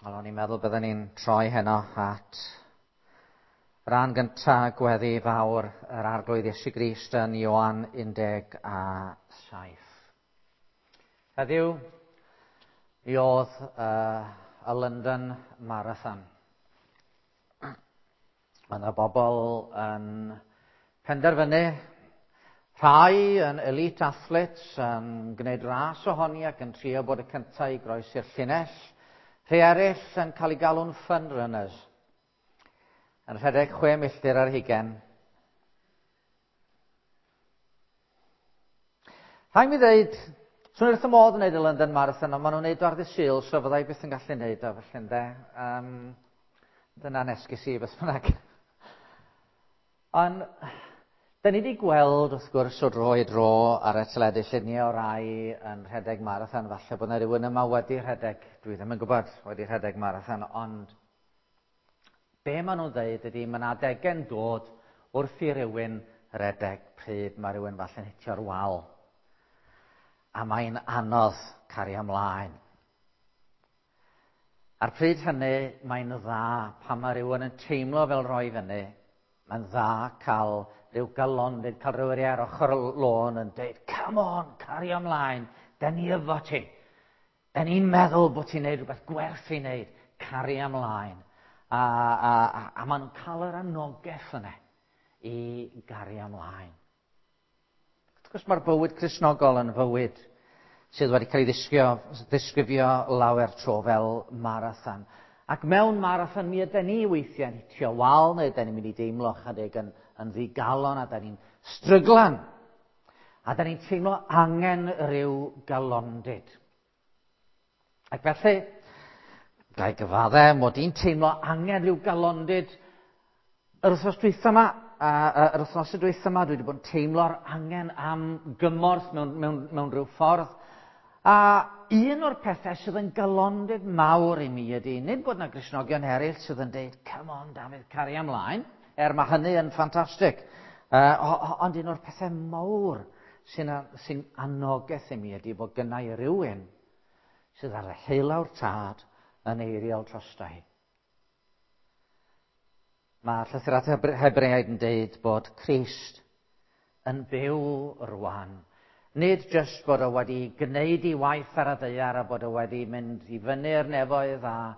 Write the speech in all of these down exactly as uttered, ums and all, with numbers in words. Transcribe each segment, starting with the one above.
Wel, o'n i'n meddwl bydden ni'n troi heno at ran gyntaf gweddi fawr yr Arglwydd Iesu Grist yn Ioan un deg a saith. Heddiw, mi oedd uh, y London Marathon. Mae yna bobl yn penderfynu, rhai yn elite athletes yn gwneud ras ohoni ac yn trio bod y cyntaf i groesi'r llinell, rhai eraill yn cael eu galw'n fun runners, yn rhedeg chwe milltir ar hugain. Rhaid mi ddeud, swn i wrth y modd yn gwneud y London Marathon, ond maen nhw'n gwneud o ar ddydd Sul, so fyddai byth yn gallu gwneud o, felly ynde. Um, dyna'n esgus i, beth bynnag. Ond, da ni wedi gweld, wrth gwrs, o dro i dro ar y teledu lluniau o rai yn rhedeg marathon. Falle bod yna rhywun yma wedi rhedeg, dwi ddim yn gwybod, wedi rhedeg marathon, ond be maen nhw'n dweud ydy, mae yna adegau'n dod wrth i rywun redeg pryd mae rhywun falle'n hitio'r wal. A mae'n anodd cario ymlaen. A'r pryd hynny, mae'n dda pan mae rhywun yn teimlo fel rhoi fyny. Mae'n dda cael rhyw galondid, cael rhywun ar ochr y lôn yn dweud, come on, cario ymlaen, da ni efo ti. Da ni'n meddwl bod ti'n neud rhywbeth gwerth i wneud, cario ymlaen. A, a, a, a maen nhw'n cael yr anogaeth yna i gario ymlaen. Wrth gwrs mae'r bywyd Cristnogol yn fywyd sydd wedi cael ei ddisgrifio, ddisgrifio lawer tro fel marathon. Ac mewn marathon mi ydy ni weithiau'n hitio wal, neu ydy ni'n mynd i deimlo chydig yn, yn ddigalon, a da ni'n stryglan. A da ni'n teimlo angen rhyw galondid. Ac felly, ga i gyfadde, mod i'n teimlo angen rhyw galondid yr wythnos dwytha yma, a, a, yr wythnos dwytha yma, dwi wedi bod yn teimlo'r angen am gymorth mewn, mewn, mewn rhyw ffordd. A un o'r pethau sydd yn galondid mawr i mi ydy, nid bod yna Gristnogion eraill sydd yn deud, come on Dafydd, caria ymlaen, er mae hynny yn ffantastig. Uh, ond un o'r pethau mawr sy'n, sy'n anogaeth i mi ydy bod gynna i rywun sydd ar y heulawr tad yn eiriol drosta i. Mae llythyr at Hebreaid yn deud bod Crist yn byw rwan. Nid jyst bod o wedi gwneud ei waith ar y ddaear a bod o wedi mynd i fyny'r nefoedd, a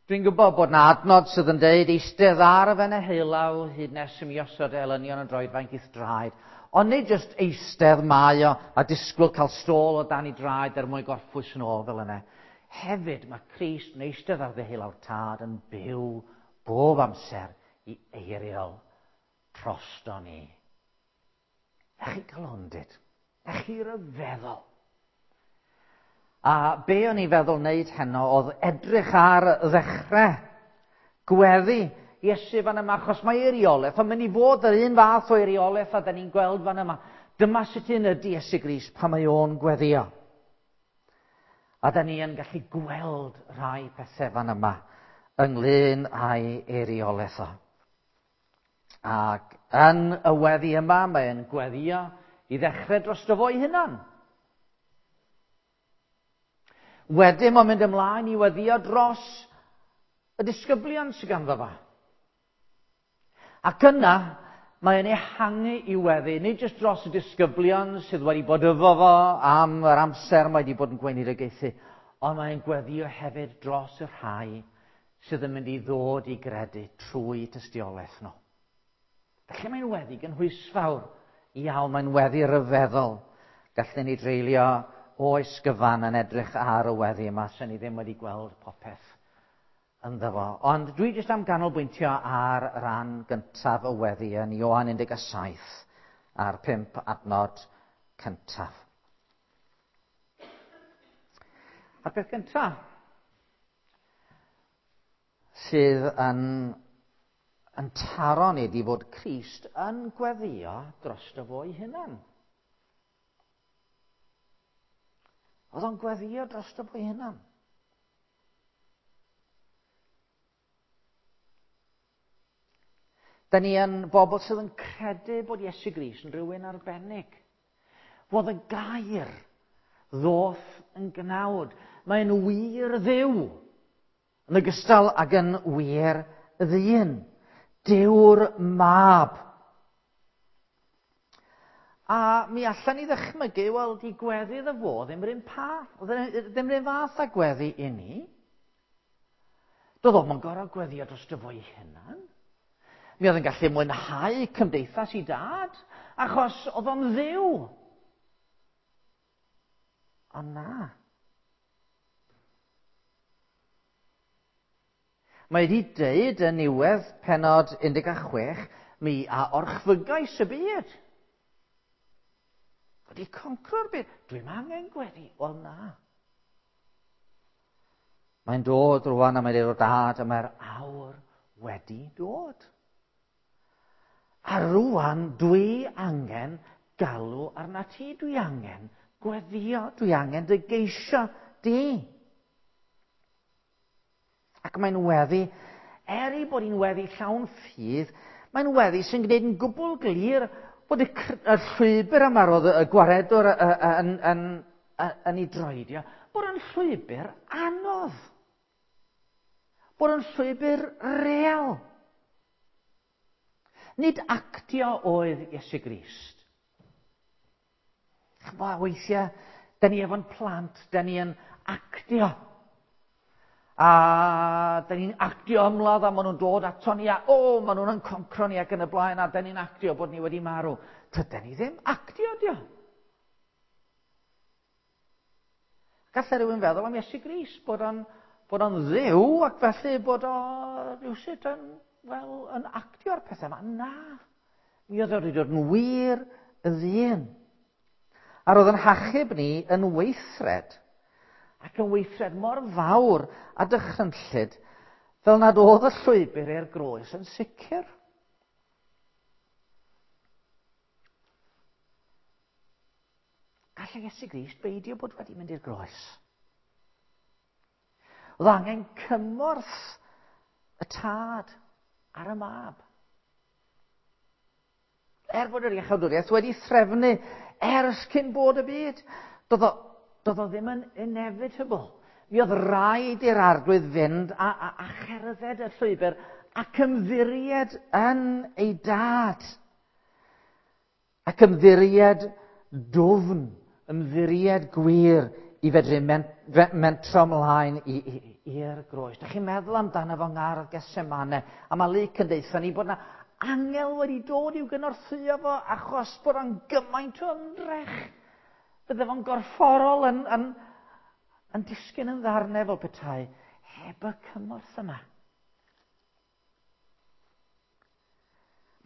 dwi'n gwybod bod na adnod sydd yn deud eistedd ar y fen y heulaw hyd nes i mi osod elynion yn droedfainc i'th draed. Ond nid jyst eistedd mae o a disgwyl cael stôl o dan ei draed er mwyn gorffwys yn ôl fel yna. Hefyd mae Crist yn eistedd ar ddeheulaw'r tad yn byw bob amser i eiriol drosto ni. Na chi galondid, na chi ryfeddol. A be o'n i'n feddwl wneud heno oedd edrych ar ddechrau gweddi Iesu fan yma, achos mae eiriolaeth, ond mynd i fod yr un fath o eiriolaeth a da ni'n gweld fan yma. Dyma sut un ydy Iesu Grist pan mae o'n gweddio. A da ni yn gallu gweld rhai pethau fan yma ynglyn â'i eiriolaeth o. Ac yn y weddi yma, mae'n gweddio i ddechrau drosto fo'i hunan. Wedyn mae'n mynd ymlaen i weddio dros y disgyblion sydd ganddo fo. Ac yna, mae'n ehangu i weddi, nid jyst dros y disgyblion sydd wedi bod efo fo am yr amser mae wedi bod yn gweinidogaethu, ond mae'n gweddio hefyd dros y rhai sydd yn mynd i ddod i gredu trwy tystiolaeth nhw. Felly mae'n weddi gynhwysfawr iawn, mae'n weddi ryfeddol. Gallwn ni dreulio oes gyfan yn edrych ar y weddi yma, sy'n ni ddim wedi gweld popeth ynddo fo. Ond dwi jyst am ganolbwyntio ar ran gyntaf y weddi yn Ioan un deg saith a'r pump adnod cyntaf. A'r peth gyntaf sydd yn, yn taro ni ydi fod Crist yn gweddio drosto fo'i hunan. Oedd o'n gweddio drosto fo'i hunan. Da ni yn bobl sydd yn credu bod Iesu Grist yn rhywun arbennig. Fod y gair ddoth yn gnawd. Mae'n wir Dduw. Yn ogystal ag yn wir ddyn. Duw'r mab. A mi allan ni ddychmygu, wel, di gweddi iddo fo ddim yr un path, ddim yr un fath â gweddi i ni. Doedd o'm yn gorfod gweddio drosto fo'i hunan. Mi oedd yn gallu mwynhau cymdeithas i dad, achos oedd o'n ddiw. Ond na. Mae wedi deud yn niwedd pennod un deg chwech, mi a orchfygais y byd. Wedi concro'r byd. Dwi'm angen gweddi. Wel na. Mae'n dod rwan a mae'n dod o dad a mae'r awr wedi dod. A rwan dwi angen galw arna ti. Dwi angen gweddio. Dwi angen dy geisio di. Ac mae'n weddi, er ei bod hi'n weddi llawn ffydd, mae'n weddi sy'n gwneud yn gwbl glir bod y, y llwybr yma roedd y gwaredwr yn, yn, yn, yn ei droedio, bod yn llwybr anodd. Bod yn llwybr real. Nid actio oedd Iesu Grist. Ch'mo', weithiau, da ni efo'n plant, da ni yn actio. A da ni'n actio ymladd a maen nhw'n dod ato ni a o, maen nhw'n concro ni ac yn y blaen a da ni'n actio bod ni wedi marw. Tydan ni ddim actio, dio. Gallai rhywun feddwl am Iesu Grist, bod o'n, bod o'n ddiw ac felly bod o rhywsut yn, wel, yn actio'r pethau yma. Na, mi oedd o wedi dod yn wir y ddyn. A roedd yn hachub ni yn weithred, ac yn weithred mor fawr a dychrynllyd, fel nad oedd y llwybr i'r groes yn sicr. Gallai Iesu Grist beidio bod wedi mynd i'r groes. Oedd angen cymorth y tad ar y mab. Er bod yr iachawdwriaeth wedi threfnu ers cyn bod y byd, doedd o, doedd o ddim yn inevitable. Mi oedd rhaid i'r arglwydd fynd a, a, a cherdded y llwybr ac ymddiried yn ei dad. Ac ymddiried dwfn, ymddiried gwir i fedru mentro ymlaen i'r groes. Dach chi'n meddwl amdano fo ngardd Gethsemane, a mae Luc yn deutha ni bod yna angel wedi dod i'w gynorthwyo fo achos bod o'n gymaint o ymdrech. Bydde fo'n gorfforol yn, yn, yn disgyn yn ddarnau fel petai heb y cymorth yma.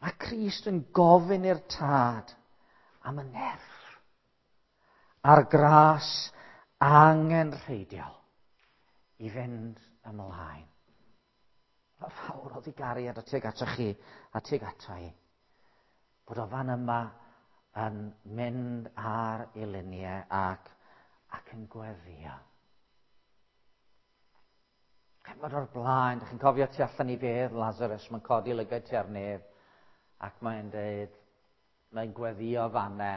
Mae Crist yn gofyn i'r tad am y nerth a'r gras angenrheidiol i fynd ymlaen. Mae fawr oedd i gariad a tuag atoch chi a tuag ata i. Bod o fan yma yn mynd ar ei liniau ac, ac yn gweddio. Ch'mod o'r blaen, dych chi'n cofio tu allan i fedd Lazarus, mae'n codi lygaid tua'r nef ac mae'n deud, mae'n gweddio fanne,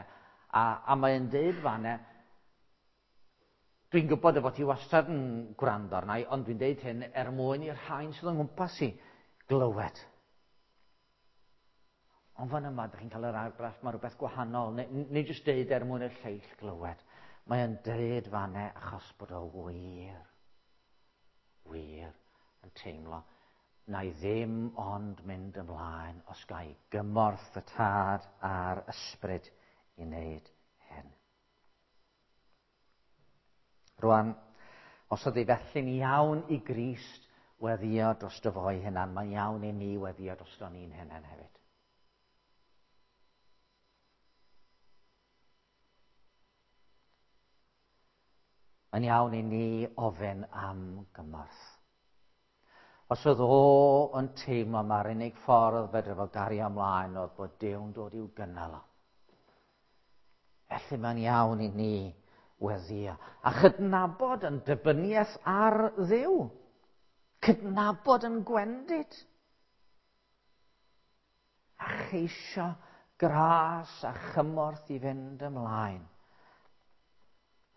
a, a mae'n deud fanne, dwi'n gwybod y fod ti wastad yn gwrando arna i, ond dwi'n deud hyn er mwyn i'r rhain sydd yng nghwmpas i glywed. Ond fan yma, dych chi'n cael yr argraff, mae rhywbeth gwahanol. Nid jyst deud er mwyn i'r lleill glywed. Mae'n deud fanne achos bod o wir, wir yn teimlo na i ddim ond mynd ymlaen os ga i gymorth y tad a'r ysbryd i wneud hyn. Rwan, os oedd ei felly'n iawn i Grist weddio drosto fo'i hunan, mae'n iawn i ni weddio drosto ni'n hunan hefyd. Mae'n iawn i ni ofyn am gymorth. Os oedd o yn teimlo mae'r unig ffordd fedre fo gario ymlaen oedd bod Duw'n dod i'w gynnal o. Felly mae'n iawn i ni weddio. A chydnabod yn dibyniaeth ar Dduw. Cydnabod yn gwendid. A cheisio gras a chymorth i fynd ymlaen.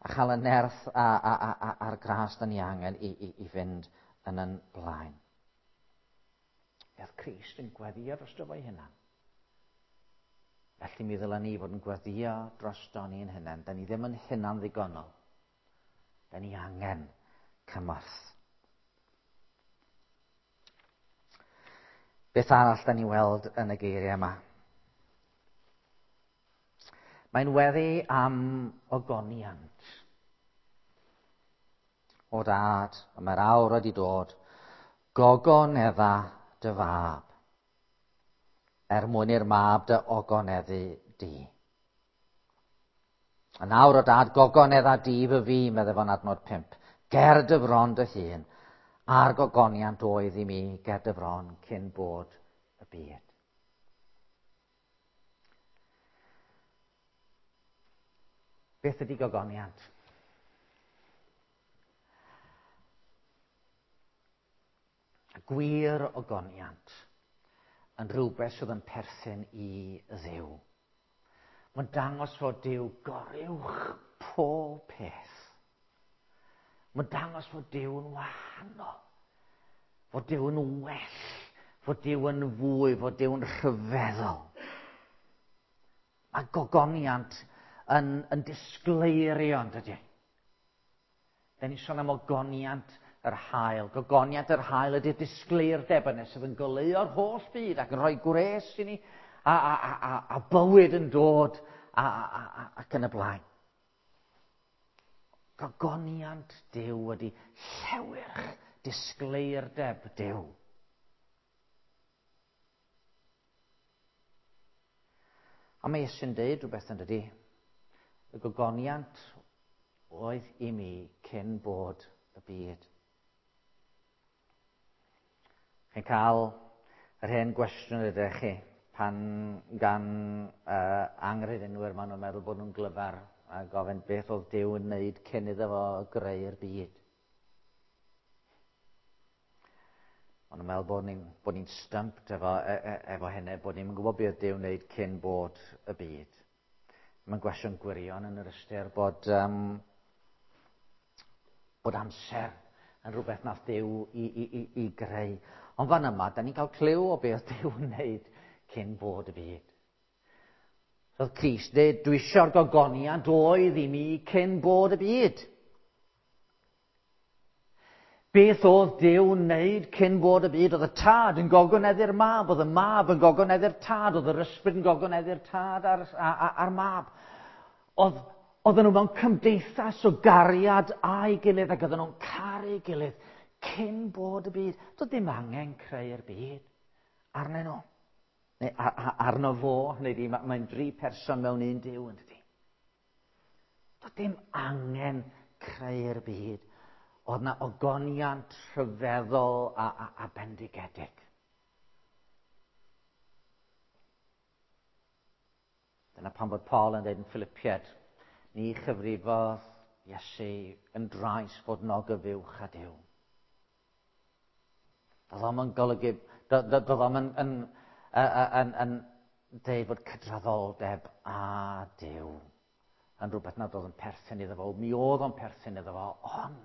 A chael y nerth a, a, a, a, a'r gras da ni angen i, i, i fynd yn yn blaen. Oedd Crist yn gweddio drosto fo'i hunan. Felly mi ddylen ni fod yn gweddio drosto ni'n hunan. Da ni ddim yn hunan ddigonol. Da ni angen cymorth. Beth arall da ni weld yn y geiriau yma? Mae'n weddi am ogoniant. O dad, y mae'r awr wedi dod, gogonedda dy fab, er mwyn i'r mab dy ogoneddu di. A nawr o dad, gogonedda di fy fi, meddai fo'n adnod pump, ger dy fron dy hun, a'r gogoniant oedd i mi ger dy fron cyn bod y byd. Beth ydy gogoniant? Gwir ogoniant yn rhywbeth sydd yn perthyn i Dduw. Mae'n dangos fod Duw goruwch pob peth. Mae'n dangos fod Duw yn wahanol, fod Duw yn well, fod Duw yn fwy, fod Duw yn rhyfeddol. Mae gogoniant yn, yn disgleirio, yn dydy? Da ni'n sôn am ogoniant yr haul. Gogoniant yr haul ydy'r disgleirdeb yna sydd yn goleuo'r holl byd ac yn rhoi gwres i ni a, a, a, a, a bywyd yn dod a, a, a, ac yn y blaen. Gogoniant Duw ydy llewyrch disgleirdeb Duw. A mae Iesu'n deud rhywbeth yn dydy. Y gogoniant oedd i mi cyn bod y byd. Chi'n cael yr hen gwestiwn ydych chi pan gan uh, anghredinwyr maen nhw'n meddwl bod nhw'n glyfar a gofyn beth oedd Duw yn wneud cyn iddo fo greu'r byd. Maen nhw'n meddwl bod ni'n bod ni'n stumped efo, e, e, efo hynny, bod ni'n gwybod beth oedd Duw yn wneud cyn bod y byd. Mae'n gwestiwn gwirion yn yr ystyr bod, um, bod amser yn rhywbeth nath Duw i, i, i, i greu. Ond fan yma, da ni'n cael clyw o beth Duw yn wneud cyn bod y byd. Roedd Crist dweud, dwi eisiau'r gogoniant oedd i mi cyn bod y byd. Beth oedd Duw yn wneud cyn bod y byd? Oedd y tad yn gogoneddu'r mab, oedd y mab yn gogoneddu'r tad, oedd yr ysbryd yn gogoneddu'r tad a'r, a'r, a'r mab. Oedd, oedden nhw mewn cymdeithas o gariad a'i gilydd ac oedden nhw'n caru'i gilydd cyn bod y byd. Doedd dim angen creu'r byd arnyn nhw. Neu arno fo, neu di, mae'n dri person mewn un Duw, yn dydi. Doedd dim angen creu'r byd. Oedd na ogoniant rhyfeddol a, a, a bendigedig. Dyna pam bod Paul yn dweud yn Philippiaid, ni chyfrifodd Iesu yn drais fod yn ogyfuwch â Duw. Doedd o'm yn golygu, doedd o'm yn, yn, yn, yn, yn dweud fod cydraddoldeb â Duw yn rhywbeth nad oedd yn perthyn iddo fo. Mi oedd o'n perthyn iddo fo, ond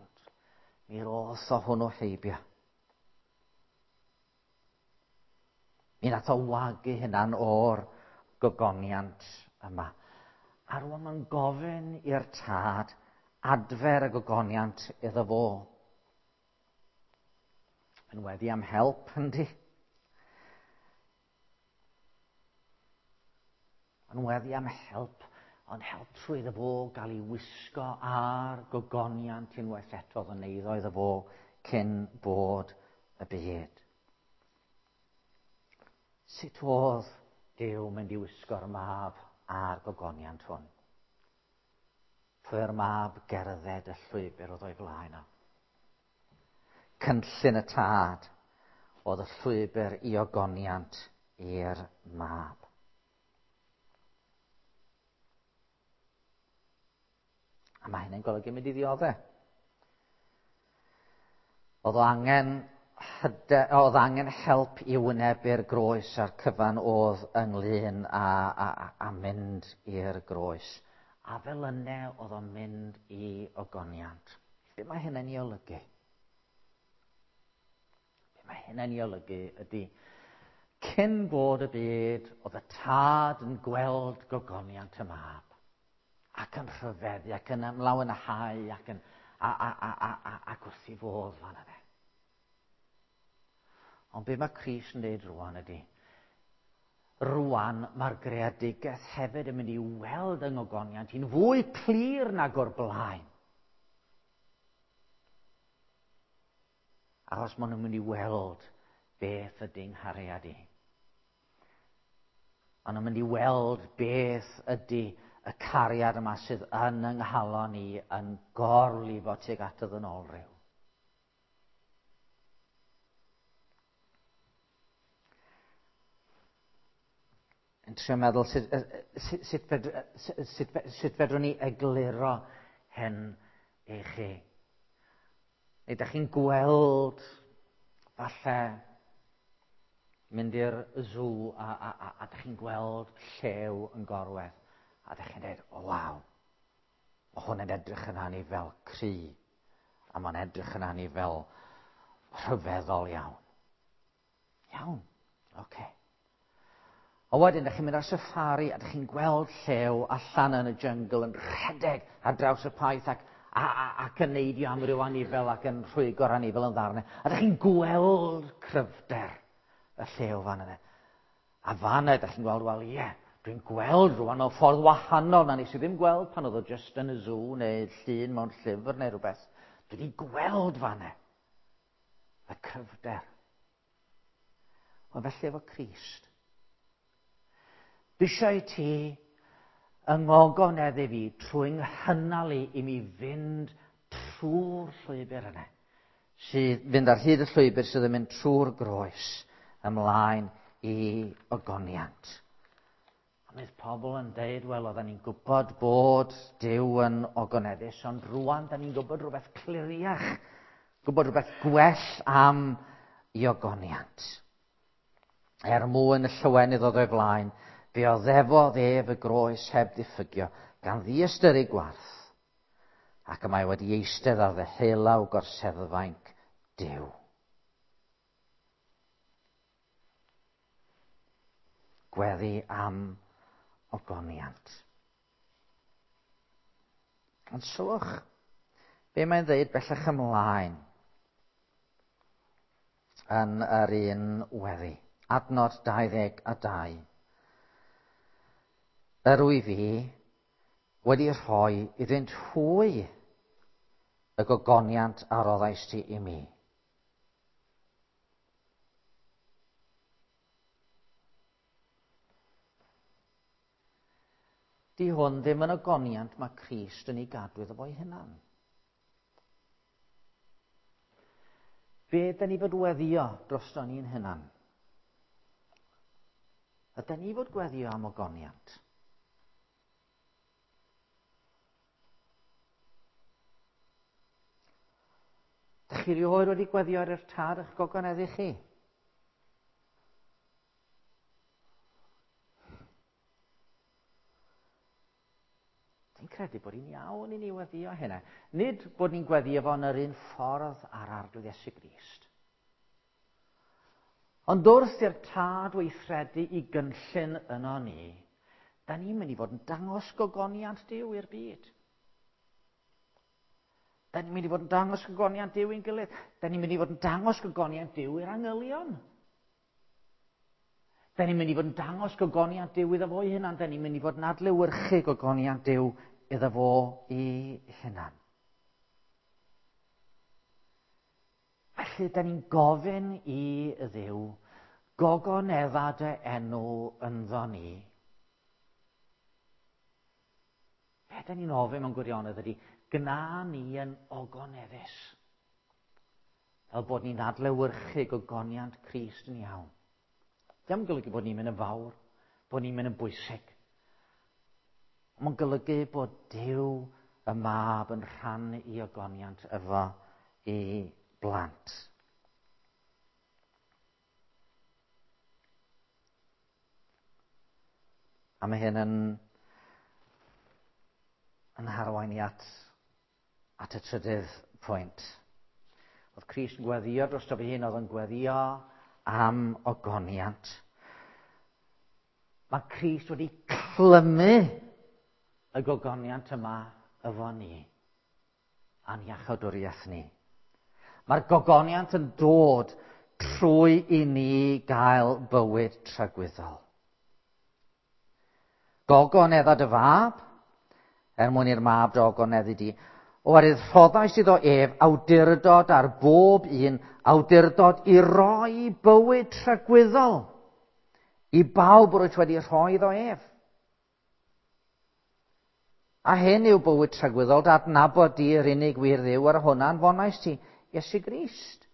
mi roth o hwnnw heibio. Mi nath o wagu hunan o'r gogoniant yma. A rwan mae'n gofyn i'r tad adfer y gogoniant iddo fo. Yn weddi am help, yndi? Yn weddi am help, ond help trwy iddo fo gael ei wisgo ar gogoniant unwaith eto oedd yn eiddo iddo fo cyn bod y byd. Sut oedd Duw mynd i wisgo'r mab a'r gogoniant hwn? Trwy'r mab gerdded y llwybr oedd o'i flaen o. Cynllun y tad oedd y llwybr i ogoniant i'r mab. A mae hynny'n golygu mynd i ddioddef. Oedd o angen hyde, oedd angen help i wynebu'r groes a'r cyfan oedd ynglyn â, a, a, a mynd i'r groes. A fel yna oedd o'n mynd i ogoniant. Be mae hynny'n ei olygu? Mae hynny'n ei olygu ydy, cyn bod y byd, oedd y tad yn gweld gogoniant y mab, ac yn rhyfeddu, ac yn ymlawenhau, ac yn a, a, a, a, a, ac wrth ei fodd fan yna. Ond be mae Crist yn dweud rwan ydy, rwan mae'r greadigaeth hefyd yn mynd i weld yng ngogoniant hi'n fwy clir nag o'r blaen. Achos maen nhw'n mynd i weld beth ydy nghariad i. Maen nhw'n mynd i weld beth ydy y cariad yma sydd yn yng nghalon i yn gorlifo tuag at y ddynolryw. Yn trio meddwl sut, sut, sut, fedr, sut, sut fedrwn ni egluro hyn i chi. Neu ydych chi'n gweld falle mynd i'r zoo a, a, a, a ydych chi'n gweld llew yn gorwedd a ydych chi'n dweud, o waw, mae hwn yn edrych yn ani fel cry a mae'n edrych yn ani fel rhyfeddol iawn. Iawn, oce. Okay. A wedyn, ydych chi'n mynd ar safari a ydych chi'n gweld llew allan yn y jyngl yn rhedeg ar draws y paith ac, a, a, ac yn neidio am ryw anifel ac yn rhwygo'r anifel yn ddarnau. A ydych chi'n gweld cryfder y llew fan yna. A fan yna, ydych chi'n gweld, wel ie, dwi'n gweld rwan mewn ffordd wahanol na nes i ddim gweld pan oedd o just yn y zoo neu llun mewn llyfr neu rhywbeth. Dwi wedi gweld fan yna y cryfder. Wel, felly efo Crist. Dwi eisiau i ti yng ngogoneddu fi trwy nghynnal i i mi fynd trwy'r llwybr yna. Sydd fynd ar hyd y llwybr sydd yn mynd trwy'r groes ymlaen i ogoniant. A mae pobl yn deud, wel, oedden ni'n gwybod bod Duw yn ogoneddus, ond rwan da ni'n gwybod rhywbeth cliriach, gwybod rhywbeth gwell am i ogoniant. Er mwyn y llawenydd oedd o'i flaen, fe oddefodd ef y groes heb ddiffygio, gan ddiystyru gwarth, ac y mae wedi eistedd ar ddeheulaw gorseddfainc Duw. Gweddi am ogoniant. Ond sylwch, be mae'n dweud bellach ymlaen yn yr un weddi. Adnod dau ddeg a dau. Yr wyf fi wedi rhoi iddynt hwy y gogoniant a roddais ti i mi. Di hwn ddim yn ogoniant mae Crist yn ei gadw iddo fo'i hunan. Be da ni fod weddio drosto ni'n hunan? Ydy ni fod gweddio am ogoniant? Dych chi rioed wedi gweddio ar eich tad eich gogoneddu chi? Dwi'n credu bod hi'n iawn i ni weddio hynna. Nid bod ni'n gweddio fo yn yr un ffordd ar Arglwydd Iesu Grist. Ond wrth i'r tad weithredu i gynllun yno ni, da ni'n mynd i fod yn dangos gogoniant Duw i'r byd. Da ni'n mynd i fod yn dangos gogoniant Duw i'n gilydd. Da ni'n mynd i fod yn dangos gogoniant Duw i'r angylion. Da ni'n mynd i fod yn dangos gogoniant Duw iddo fo'i hunan. Da ni'n mynd i fod yn adlewyrchu gogoniant Duw iddo fo i hunan. Felly, da ni'n gofyn i Dduw gogonedda dy enw ynddo ni. Be da ni'n ofyn mewn gwirionedd ydy, gna ni yn ogoneddus. Fel bod ni'n adlewyrchu gogoniant Crist yn iawn. Dim golygu bod ni'n mynd yn fawr, bod ni'n mynd yn bwysig. Ond mae'n golygu bod Duw y mab yn rhan i ogoniant efo i blant. A mae hyn yn, yn harwain i at, at y trydydd pwynt. Oedd Crist yn gweddio drosto fe hun, oedd yn gweddio am ogoniant. Mae Crist wedi clymu y gogoniant yma efo ni, a'n iachawdwriaeth ni. Mae'r gogoniant yn dod trwy i ni gael bywyd tragwyddol. Gogonedda dy fab, er mwyn i'r mab dy ogoneddu di. Oherwydd rhoddais iddo ef awdurdod ar bob un, awdurdod i roi bywyd tragwyddol i bawb rwyt wedi rhoi iddo ef. A hyn yw bywyd tragwyddol, dy adnabod di yr unig wir Dduw, ar hwnna'n fonais ti, Iesu Grist.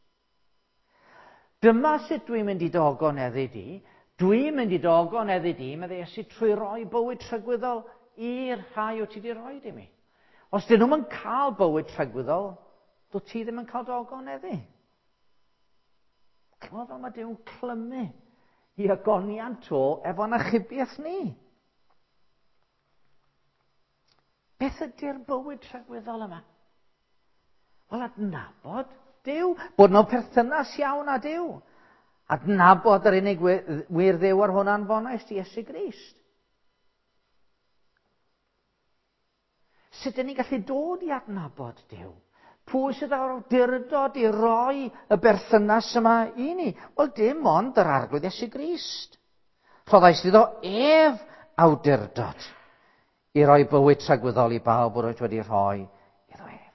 Dyma sut dwi'n mynd i dy ogoneddu di. Dwi'n mynd i dy ogoneddu di, meddai Iesu, trwy roi bywyd tragwyddol i'r rhai o ti di roi i mi. Os dyn nhw'n cael bywyd tragwyddol, dwi ti ddim yn cael dy ogoneddu. Clywed fel mae Duw'n clymu i ogoniant o efo'n achubiaeth ni. Beth ydy'r bywyd tragwyddol yma? Wel, adnabod Duw, bod mewn perthynas iawn â Duw. Adnabod yr unig wir Dduw ar hwnna'n fonais di Iesu Grist. Sut ydyn ni'n gallu dod i adnabod Duw? Pwy sydd â'r awdurdod i roi y berthynas yma i ni? Wel, dim ond yr Arglwydd Iesu Grist. Rhoddais iddo ef awdurdod i roi bywyd tragwyddol i bawb yr oedd wedi rhoi iddo ef.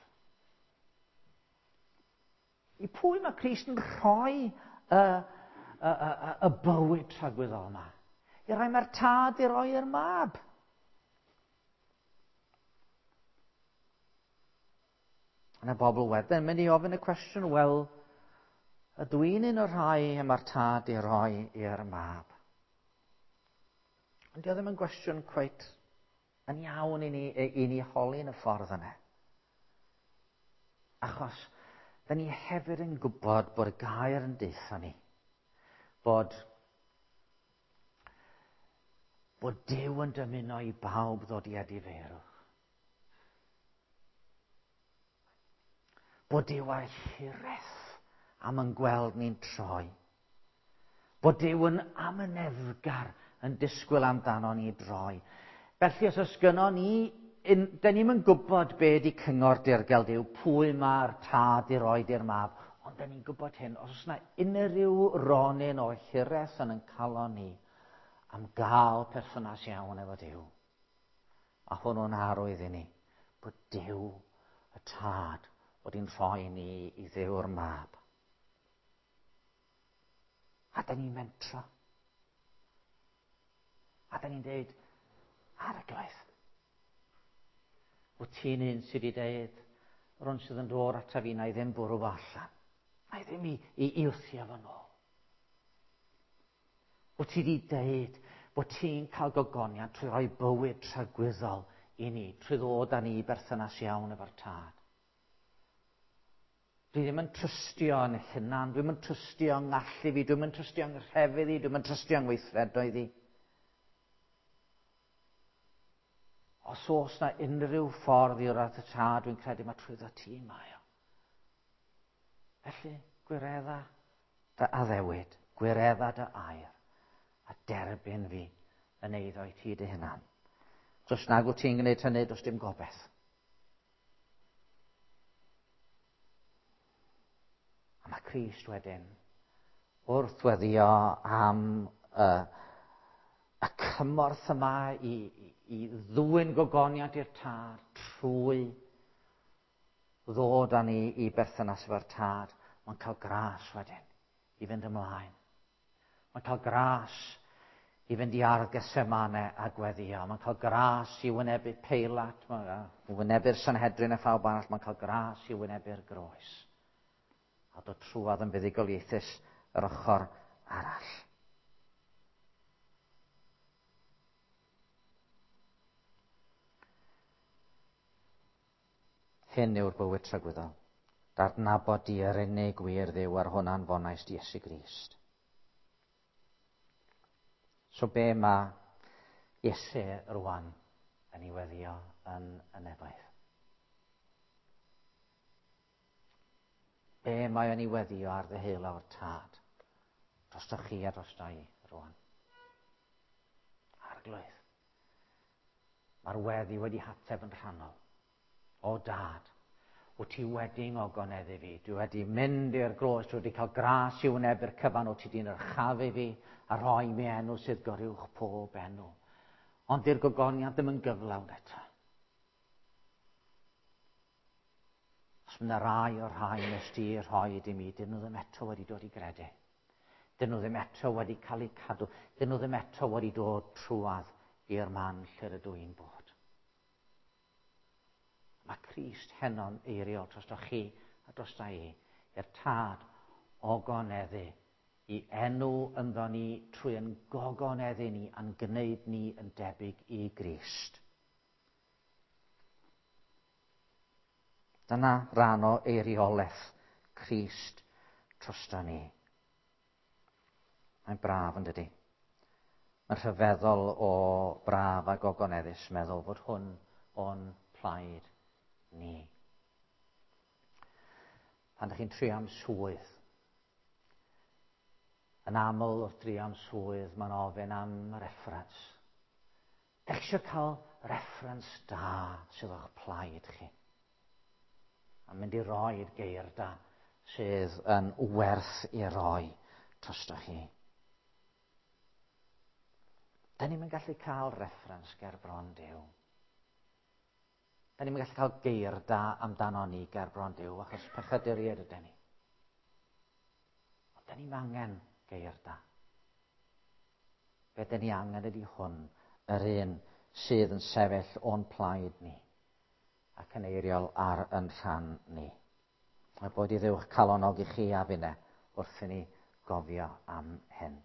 I pwy mae Crist yn rhoi y, y, y, y bywyd tragwyddol yma? I roi mae'r tad i roi i'r mab. Yna bobl wedyn mynd i ofyn y cwestiwn, wel, ydw i'n un o'r rhai y mae'r tad i roi i'r mab? Ond dio ddim yn gwestiwn cweit yn iawn i ni, i ni holi yn y ffordd yna. Achos, da ni hefyd yn gwybod bod y gair yn deutha ni, bod, bod Duw yn dymuno i bawb ddod i edifeirwch. Bod Duw ar hiraeth am yn gweld ni'n troi. Bod Duw yn amyneddgar yn disgwyl amdano ni droi. Felly os oes gynnon ni, da ni'm yn gwybod be di cyngor dirgel Duw, pwy mae'r tad i roi i'r mab, ond da ni'n gwybod hyn, os oes yna unrhyw ronyn o hiraeth yn ein calon ni am gael perthynas iawn efo Duw, a hwnnw'n arwydd i ni bod Duw y tad wedi'n rhoi ni i Dduw'r mab. A da ni'n mentro. A da ni'n deud, Arglwydd, wyt ti'n un sydd wedi deud, yr un sydd yn dod ata fi, na i ddim bwrw fo allan. Na i ddim i, i, i wthio fo nôl. Wyt ti wedi deud bod ti'n cael gogoniant trwy roi bywyd tragwyddol i ni, trwy ddod â ni i berthynas iawn efo'r tad. Dwi ddim yn trystio yn hunan, dwi'm yn trystio yng ngallu fi, dwi'm yn trystio yng nghrefydd i, dwi'm yn trystio yng ngweithredoedd i. Os oes na unrhyw ffordd i wrth y tad, dwi'n credu mae trwyddo ti mae o. Felly, gwiredda dy addewid, gwiredda dy air, a derbyn fi yn eiddo i ti dy hunan. Os nag wyt ti'n gwneud hynny, does dim gobaith. A mae Crist wedyn, wrth weddio am y, y cymorth yma i, i ddwyn gogoniant i'r tad trwy ddod â ni i berthynas efo'r tad, mae'n cael gras wedyn i fynd ymlaen. Mae'n cael gras i fynd i ardd Gethsemane a gweddio. Mae'n cael gras i wynebu Peilat, mae'n wynebu'r Sanhedrin a phawb arall, mae'n cael gras i wynebu'r groes. A dod trwadd yn fuddugoliaethus yr ochr arall. Hyn yw'r bywyd tragwyddol. D'adnabod di yr unig wir Dduw ar hwnna'n fonais di Iesu Grist. So be mae Iesu rwan yn ei weddio yn y nefoedd? Be mae o'n ei weddio ar ddeheulaw'r Tad? Drostoch chi a drosto i rwan. Arglwydd. Mae'r weddi wedi hateb yn rhannol. O Dad, wyt ti wedi ngogoneddu fi. Dwi wedi mynd i'r groes, dwi wedi cael gras i wynebu'r cyfan, wyt ti wedi'n yrchafu fi a rhoi mi enw sydd goruwch pob enw. Ond di'r gogoniant ddim yn gyflawn eto. Os mae yna rai o'r rhai nes di rhoi i mi, dyn nhw ddim eto wedi dod i gredu. Dyn nhw ddim eto wedi cael eu cadw. Dyn nhw ddim eto wedi dod trwadd i'r man lle rydw i'n bod. Mae Crist heno'n eiriol drostoch chi a drosta i, i'r Tad ogoneddu i enw ynddo ni trwy yn gogoneddu ni a'n gwneud ni yn debyg i Grist. Dyna ran o eiriolaeth Crist drosto ni. Mae'n braf yn dydi? Mae'n rhyfeddol o braf a gogoneddus meddwl fod hwn o'n plaid ni. Pan ydych chi'n trio am swydd, yn aml wrth drio am swydd, mae'n ofyn am reference. Dych chi eisiau cael reference da sydd o'ch plaid chi? A mynd i roi'r geir da sydd yn werth i roi drostoch chi. Da ni'n gallu cael reference ger bron Duw. Da ni'n gallu cael geir da amdano ni ger bron Duw, achos pechaduriaid ydyn ni. Ond da ni'n angen geir da. Be da ni angen ydy hwn, yr un sydd yn sefyll o'n plaid ni ac yn eiriol ar yn rhan ni. A bod i Dduw'ch calonog i chi a finne wrth i ni gofio am hyn.